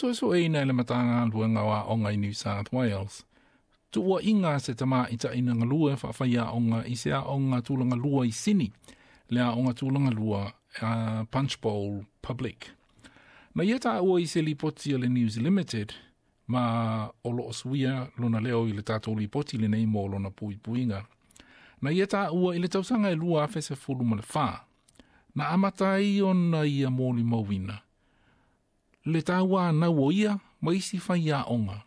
Suesueina e le Matagaluega o Aoga i New South Wales, tuuaiga a se tamaitai na galue faafaiaoga i se aoga tulaga lua i Sini, le aoga tulaga lua Punchbowl Public. Na ia taua i se lipoti a le News Limited, ma o lo o suia lona leo i le tatou lipoti lenei mo lona puipuiga. Na ia taua i le tausaga e 2014, na amata ai ona ia molimauina le tauanau o ia ma isi faiaoga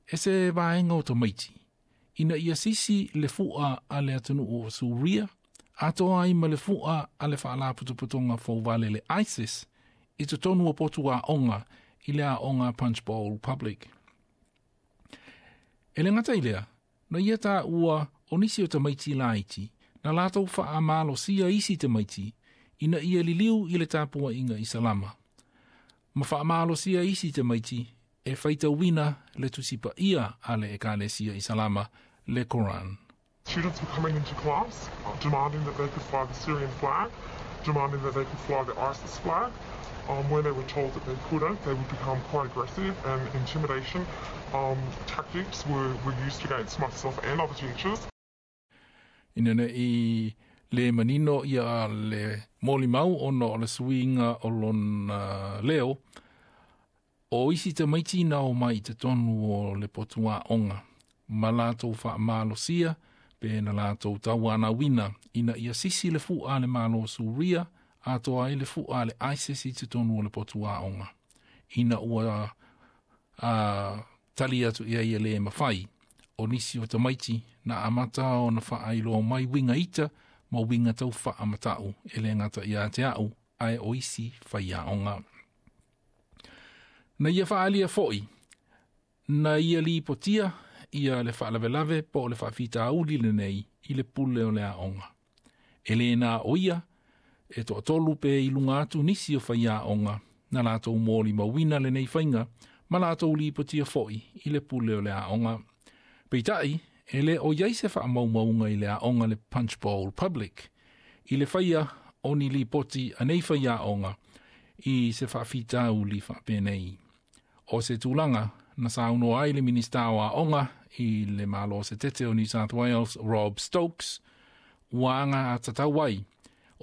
e se vaega o tamaiti, ina ia sisi le fu'a a le atunuu o Suria, atoa ai ma le fu'a a le faalapotopotoga fouvale le ISIS i totonu o potu aoga i le aoga Punchbowl Public. E le gata i lea, na ia taua o nisi o tamaiti laiti, na latou faamalosia isi tamaiti ina ia liliu i le tapuaiga Isalama, ma faamalosia isi tamaiti e faitauina le tusipaia a le Ekalesia Isalama, le Koran. Students were coming into class demanding that they could fly the Syrian flag, demanding that they could fly the ISIS flag. When they were told that they couldn't, they would become quite aggressive, and intimidation tactics were used against myself and other teachers. Ina nei le manino ia le molimau ona o le suiga o lona leo, o isi tamaiti na omai i totonu o le potu aoga, ma latou faamalosia pe na latou tauanauina ina ia sisi le fu'a a le Malo o Suria, atoa ai le fu'a a le ISIS i totonu o le potu aoga. Ina ua tali atu i ai e le mafai, o nisi o tamaiti na amata ona faailoa mai uiga ita ma uiga tau faamata'u e le gata ia te a'u ae o isi faiaoga. Na ia faaalia fo'i, na ia lipotia ia le faalavelave po o le faafitauli lenei i le pule o le aoga. E le na o ia, e toatolu pe i luga atu nisi o faiaoga na latou molimauina lenei faiga ma latou lipotia fo'i i le pule o le aoga. Peitai, e le o iai se faamaumauga i le aoga le Punchbowl Public, i le faia o ni lipoti a nei faiaoga i se faafitauli faapenei. O se tulaga na saunoa ai le Minista o Aoga i le Malo Setete o New South Wales, Rob Stokes, ua alagatatau ai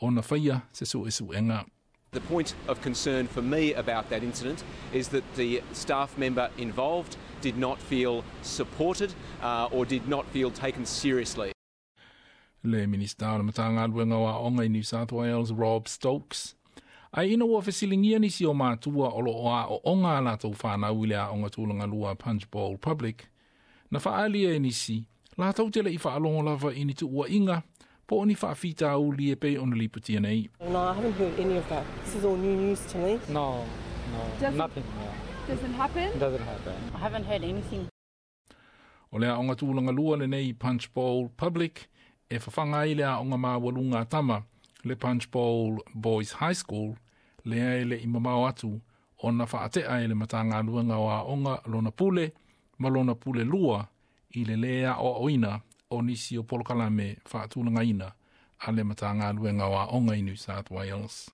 ona faia se suesuega. The point of concern for me about that incident is that the staff member involved did not feel supported or did not feel taken seriously. Le Minista o le Matagaluega o Aoga i New South Wales, Rob Stokes. Ae ina ua fesiligia nisi o matua o lo o aooga a latou fanau i le aoga tulaga lua Punchbowl Public, na faaalia e nisi, latou te le i faalogo lava i ni tuuaiga po o ni faafitauli e pei ona lipotia nei. No, I haven't heard any of that. This is all new news to me. No, nothing. Yeah. Doesn't happen? Doesn't happen. I haven't heard anything. O le aoga tulaga lua lenei Punchbowl Public e fafaga ai le aoga maualuga a tama le Punchbowl Boys High School, lea e le i mamao atu ona faate'a e le Matagaluega o Aoga lona pule ma lona pule lua i le lē aoaoina o nisi o polokalame faatulagaina a le Matagaluega o Aoga i New South Wales.